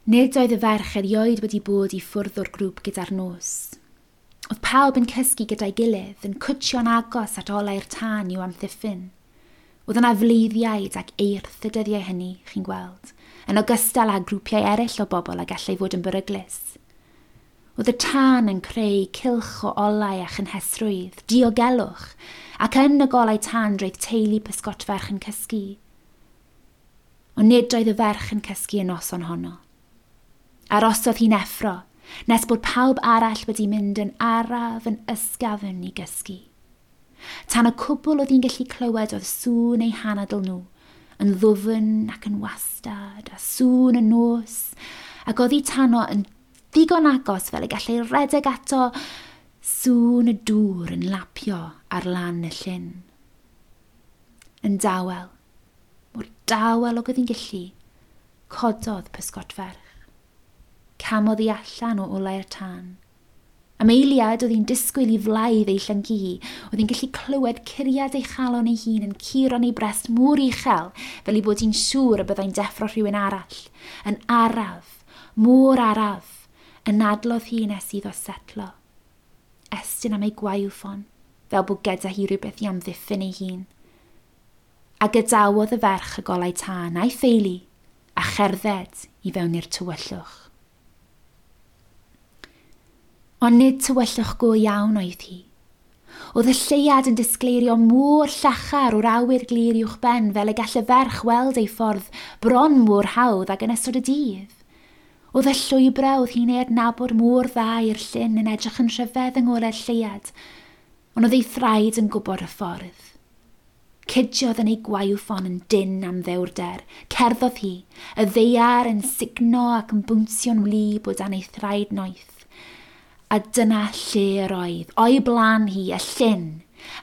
Nid oedd y ferch erioed wedi bod i ffwrdd o'r grŵp gyda'r nos. Oedd pawb yn cysgu gyda'i gilydd, yn cwtsio'n agos at olau'r tân i'w amddiffyn. Oedd yna fleiddiaid ac eirth y dyddiau hynny, chi'n gweld, yn ogystal â grwpiau eraill o bobl a gallai fod yn beryglus. Oedd y tân yn creu cylch o olau a chynhesrwydd, diogelwch, ac yn y golau tân roedd teulu pysgotferch yn cysgu. Ond nid oedd y ferch yn cysgu y noson honno. Arosodd hi'n effro, nes bod pawb arall wedi mynd yn araf yn ysgafn i gysgu. Tan y cwbl oedd hi'n gallu clywed oedd sŵn eu hanadl nhw, yn ddwfn ac yn wastad, a sŵn y nos, ac oddi tano yn ddigon agos fel y gallai redeg ato sŵn y dŵr yn lapio ar lan y llyn. Yn dawel, mor dawel ag oedd hi'n gallu, cododd pysgodferch. Camodd hi allan o olau'r tân. Am eiliad oedd hi'n disgwyl i flaidd ei llyncu hi, oedd hi'n gallu clywed curiad ei chalon ei hun yn curo'n ei brest mor uchel fel ei bod hi'n siŵr y byddai'n deffro rhywun arall. Yn araf, mor araf, anadlodd hi nes iddo setlo. Estyn am ei gwaywffon, fel bod gyda hi rhywbeth i amddiffyn ei hun. A gadawodd y ferch y golau tân a'i theulu a cherdded i fewn i'r tywyllwch. Ond nid tywyllwch go iawn oedd hi. Oedd y lleuad yn disgleirio mor llachar o'r awyr glir uwchben fel y gall y ferch weld ei ffordd bron mor hawdd ag yn ystod y dydd. Oedd y llwybrau oedd hi'n ei adnabod mor dda i'r llyn yn edrych yn rhyfedd yng ngolau'r lleuad, ond oedd ei thraed yn gwybod y ffordd. Cydiodd yn ei gwaywffon yn dynn am ddewrder. Cerddodd hi, y ddaear yn sugno ac yn bwnsio'n wlyb o dan ei thraed noeth. A dyna lle yr oedd, o'i blaen hi, y llyn,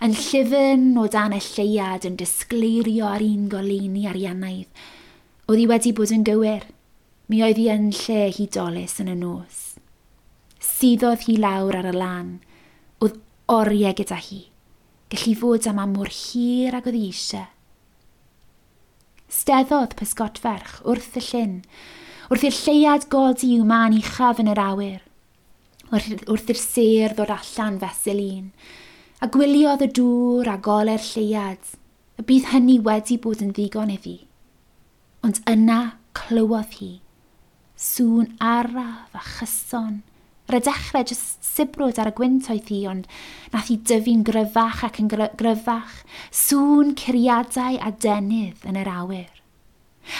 yn llyfn o dan y lleuad yn disgleirio ar un goleuni ariannaidd. Oedd hi wedi bod yn gywir. Mi oedd hi yn lle hudolus yn y nos. Suddodd hi lawr ar y lan. Oedd oriau gyda hi. Gallu fod yma mor hir ag oedd hi eisiau. Steddodd pysgodferch wrth y llyn, wrth i'r lleuad godi i'w man uchaf yn yr awyr, wrth i'r sêr ddod allan fesul un, a gwyliodd y dŵr a golau'r lleuad, y bydd hynny wedi bod yn ddigon iddi. Ond yna clywodd hi, sŵn araf a chyson. Ar y dechrau, jyst sibrwd ar y gwynt oedd hi, ond nath hi dyfu'n gryfach ac yn gryfach, sŵn curiadau a denydd yn yr awyr.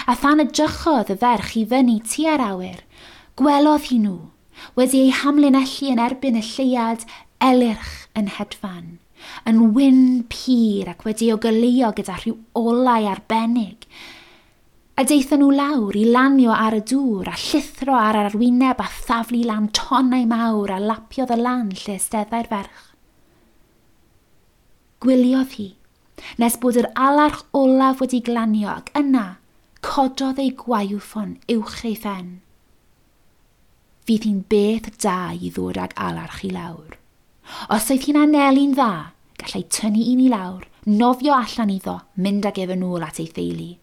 A phan edrychodd y ferch i fyny tua'r awyr, gwelodd hi nhw, wedi eu hamlinellu yn erbyn y lleuad elyrch yn hedfan, yn wyn pur ac wedi eu goleuo gyda rhyw olau arbennig. A daethon nhw lawr i lanio ar y dŵr a llithro ar yr arwyneb a thaflu lan tonnau mawr a lapiodd y lan lle esteddai'r ferch. Gwyliodd hi, nes bod yr alarch olaf wedi glanio ac yna cododd ei gwaywffon uwch ei phen. Fydd hi'n beth da i ddod ag alarch i lawr. Os oedd hi'n anelu'n dda, gallai tynnu un i lawr, nofio allan iddo, mynd ag ef yn ôl at ei theulu.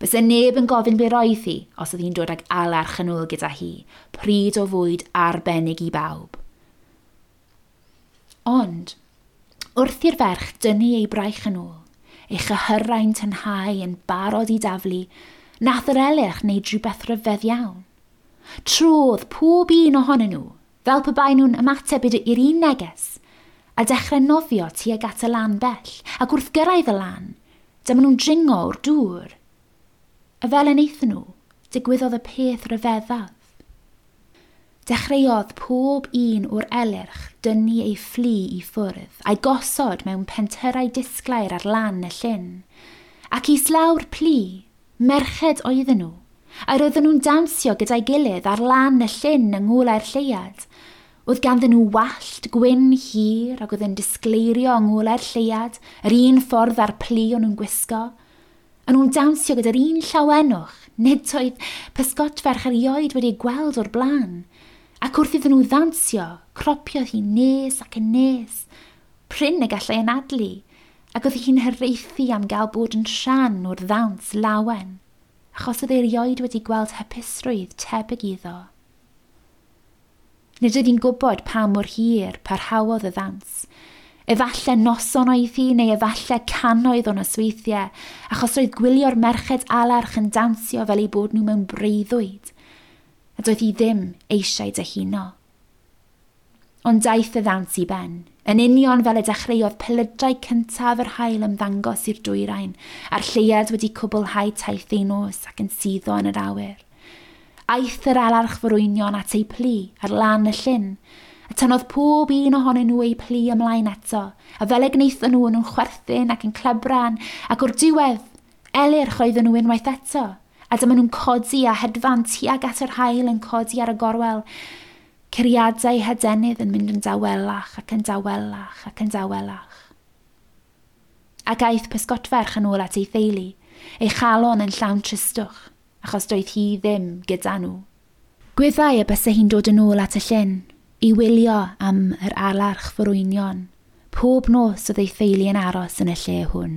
Byse neb yn gofyn be roedd hi os oedd hi'n dod ag alarch yn ôl gyda hi, pryd o fwyd arbennig i bawb. Ond, wrth i'r ferch dynnu ei braich yn ôl, ei chyhyrau'n tynhau yn barod i daflu, nath yr elyrch wneud rhywbeth rhyfedd iawn. Trodd pob un ohonyn nhw, fel pe bai nhw'n ymateb i'r un neges, a dechrau nofio tuag at y lan bell, ac wrth gyrraedd y lan, dyma nhw'n dringo o'r dŵr. A fel y wnaethon nhw, digwyddodd y peth rhyfeddaf. Dechreuodd pob un o'r elyrch dynnu ei fflu i ffwrdd a'i gosod mewn pentyrrau disglair ar lan y llyn. Ac islaw'r plu, merched oedden nhw, a roedden nhw'n dawnsio gyda'i gilydd ar lan y llyn yng ngolau'r lleuad. Oedd ganddyn nhw wallt gwyn hir ac oedd yn disgleirio yng ngolau'r lleuad, yr un ffordd â'r plu o'n nhw'n gwisgo. A nhw'n dawnsio gyda'r un llawenwch, nid oedd pysgodferch erioed wedi gweld o'r blaen. Ac wrth iddyn nhw ddawnsio, cropiodd hi nes ac yn nes. Prin y gallai anadlu, ac oedd hi'n hiraethu am gael bod yn rhan o'r ddawns lawen. achos oedd erioed wedi gweld hapusrwydd tebyg iddo. Nid oedd hi'n gwybod pa mor hir parhaodd y ddans. Efallai noson oedd hi neu efallai cannoedd o nosweithiau, achos roedd gwylio'r merched alarch yn dansio fel eu bod nhw mewn breuddwyd, a doedd hi ddim eisiau dyhuno. Ond daeth y ddawns i ben, yn union fel y dechreuodd pelydrau cyntaf yr haul ymddangos i'r dwyrain, a'r lleuad wedi cwblhau taith ei nos ac yn suddo yn yr awyr. Aeth yr alarch forwynion at ei plu ar lan y llyn, a tynnodd pob un ohonyn nhw eu plu ymlaen eto, a fel y gwnaethon nhw nhw'n chwerthin ac yn clebran, ac o'r diwedd, elyrch oedden nhw unwaith eto, a dyma nhw'n codi a hedfan tuag at yr haul yn codi ar y gorwel, curiadau hadenydd yn mynd yn dawelach ac yn dawelach ac yn dawelach. Ac aeth pysgotferch yn ôl at ei theulu, ei chalon yn llawn tristwch, achos doedd hi ddim gyda nhw. Gwyddai y bysa hi'n dod yn ôl at y llyn, i wylio am yr alarch forwynion. Pob nos oedd ei theulu yn aros yn y lle hwn.